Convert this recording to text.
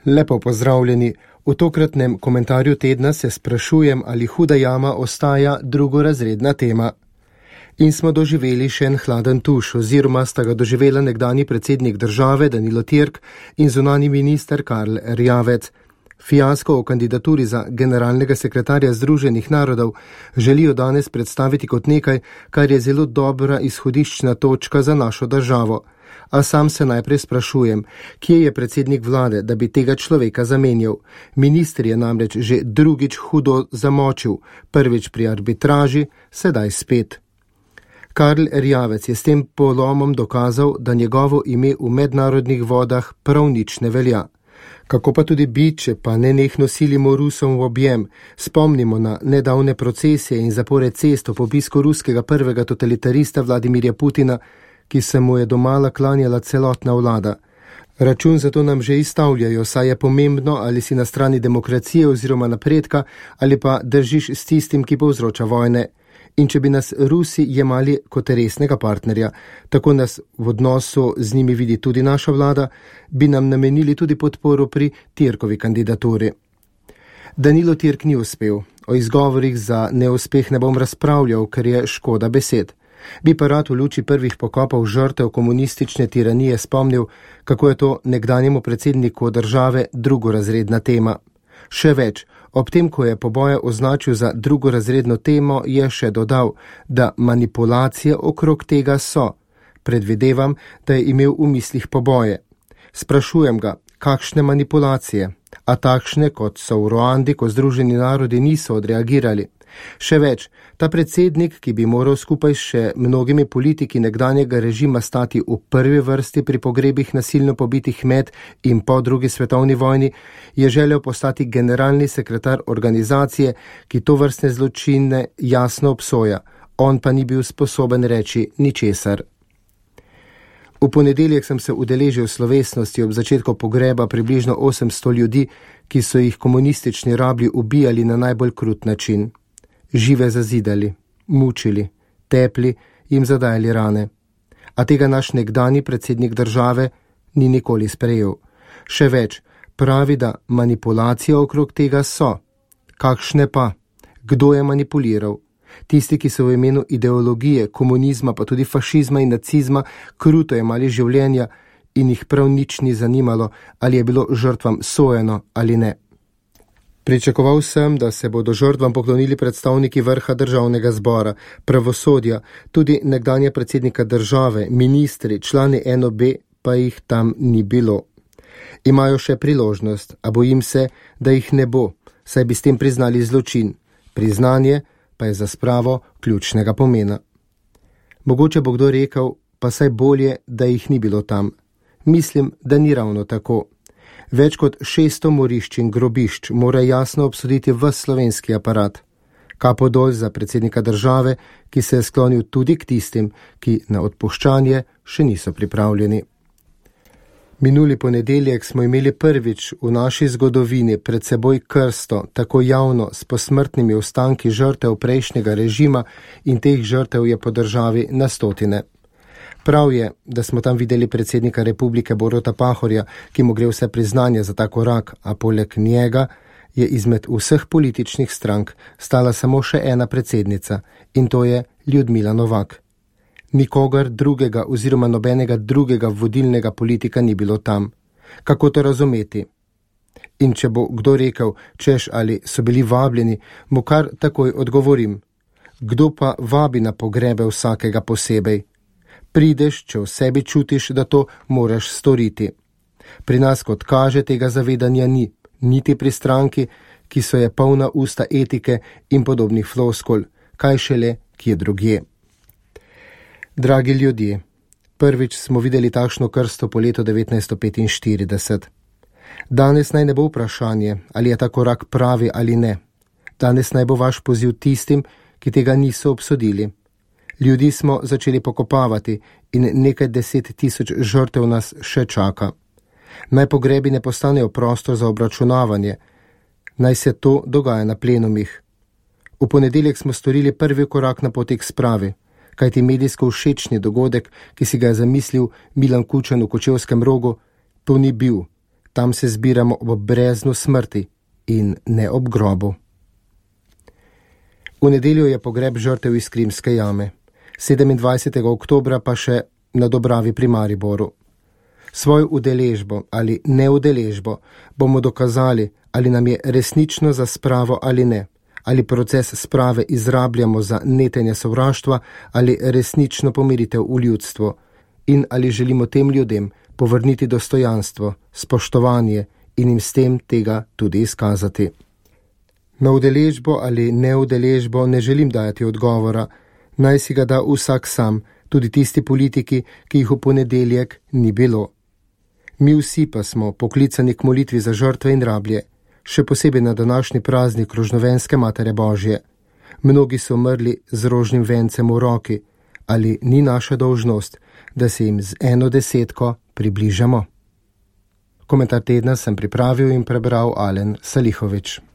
Lepo pozdravljeni. V tokratnem komentarju tedna se sprašujem, ali huda jama ostaja drugorazredna tema. In smo doživeli še en hladen tuš, oziroma sta ga doživela nekdanji predsednik države Danilo Türk in zunanji minister Karl Erjavec. Fiasko o kandidaturi za generalnega sekretarja Združenih narodov želijo danes predstaviti kot nekaj, kar je zelo dobra izhodiščna točka za našo državo. A sam se najprej sprašujem, kje je predsednik vlade, da bi tega človeka zamenjal. Minister je namreč že drugič hudo zamočil, prvič pri arbitraži, sedaj spet. Karl Erjavec je s tem polomom dokazal, da njegovo ime v mednarodnih vodah prav nič ne velja. Kako pa tudi bi, če pa nenehno silimo Rusom v objem, spomnimo na nedavne procesije in zapore cest ob obisku ruskega prvega totalitarista Vladimirja Putina, ki se mu je domala klanjala celotna vlada. Račun za to nam že izstavljajo, saj je pomembno, ali si na strani demokracije oziroma napredka, ali pa držiš s tistim, ki povzroča vojne. In če bi nas Rusi jemali kot resnega partnerja, tako nas v odnosu z njimi vidi tudi naša vlada, bi nam namenili tudi podporo pri Türkovi kandidaturi. Danilo Türk ni uspel. O izgovorih za neuspeh ne bom razpravljal, ker je škoda besed. Bi pa rad v luči prvih pokopov žrtev komunistične tiranije spomnil, kako je to nekdanjemu predsedniku države drugorazredna tema. Še več, ob tem, ko je poboje označil za drugorazredno temo, je še dodal, da manipulacije okrog tega so. Predvidevam, da je imel v mislih poboje. Sprašujem ga, kakšne manipulacije, a takšne, kot so v Ruandi, ko Združeni narodi niso odreagirali. Še več, ta predsednik, ki bi moral skupaj še mnogimi politiki nekdanjega režima stati v prvi vrsti pri pogrebih nasilno pobitih med in po drugi svetovni vojni, je želel postati generalni sekretar organizacije, ki tovrstne zločine jasno obsoja. On pa ni bil sposoben reči ničesar. V ponedeljek sem se udeležil slovesnosti ob začetku pogreba približno 800 ljudi, ki so jih komunistični rablji ubijali na najbolj krut način. Žive zazidali, mučili, tepli, jim zadajali rane. A tega naš nekdanji predsednik države ni nikoli sprejel. Še več, pravi, da manipulacije okrog tega so. Kakšne pa? Kdo je manipuliral? Tisti, ki so v imenu ideologije, komunizma, pa tudi fašizma in nacizma kruto jemali življenja in jih prav nič ni zanimalo, ali je bilo žrtvam sojeno ali ne. Pričakoval sem, da se bodo žrtvam poklonili predstavniki vrha državnega zbora, pravosodja, tudi nekdanja predsednika države, ministri, člani NOB, pa jih tam ni bilo. Imajo še priložnost, a bojim se, da jih ne bo, saj bi s tem priznali zločin. Priznanje pa je za spravo ključnega pomena. Mogoče bo kdo rekel, pa saj bolje, da jih ni bilo tam. Mislim, da ni ravno tako. Več kot 600 morišč in grobišč mora jasno obsoditi ves slovenski aparat. Kapo dol za predsednika države, ki se je sklonil tudi k tistim, ki na odpuščanje še niso pripravljeni. Minuli ponedeljek smo imeli prvič v naši zgodovini pred seboj krsto, tako javno, s posmrtnimi ostanki žrtev prejšnjega režima, in teh žrtev je po državi na stotine. Prav je, da smo tam videli predsednika republike Boruta Pahorja, ki mu gre vse priznanje za ta korak, a poleg njega je izmed vseh političnih strank stala samo še ena predsednica, in to je Ljudmila Novak. Nikogar drugega oziroma nobenega drugega vodilnega politika ni bilo tam. Kako to razumeti? In če bo kdo rekel, češ ali so bili vabljeni, mu kar takoj odgovorim. Kdo pa vabi na pogrebe vsakega posebej? Prideš, če v sebi čutiš, da to moraš storiti. Pri nas, kot kaže, tega zavedanja ni, niti pri stranki, ki so je polna usta etike in podobnih floskul, kaj šele, kje drugje. Dragi ljudje, prvič smo videli takšno krsto po letu 1945. Danes naj ne bo vprašanje, ali je ta korak pravi ali ne. Danes naj bo vaš poziv tistim, ki tega niso obsodili. Ljudi smo začeli pokopavati in nekaj 10 000 žrtev nas še čaka. Naj pogrebi ne postanejo prostor za obračunavanje. Naj se to dogaja na plenumih. V ponedeljek smo storili prvi korak na poti k spravi, kajti medijsko všečni dogodek, ki si ga je zamislil Milan Kučan v Kočevskem Rogu, to ni bil. tam se zbiramo ob breznu smrti in ne ob grobu. V nedeljo je pogreb žrtev iz Krimske jame, 27. oktobra pa še na Dobravi pri Mariboru. Svojo udeležbo ali neudeležbo bomo dokazali, ali nam je resnično za spravo ali ne, ali proces sprave izrabljamo za netenje sovraštva ali resnično pomiritev v ljudstvu in ali želimo tem ljudem povrniti dostojanstvo, spoštovanje in jim s tem tega tudi izkazati. Na udeležbo ali neudeležbo ne želim dajati odgovora, naj si ga da vsak sam, tudi tisti politiki, ki jih v ponedeljek ni bilo. Mi vsi pa smo poklicani k molitvi za žrtve in rablje, še posebej na današnji praznik Rožnovenske Matere Božje. Mnogi so umrli z rožnim vencem v roki, ali ni naša dolžnost, da se jim z 1/10 približamo? Komentar tedna sem pripravil in prebral Alen Salihovič.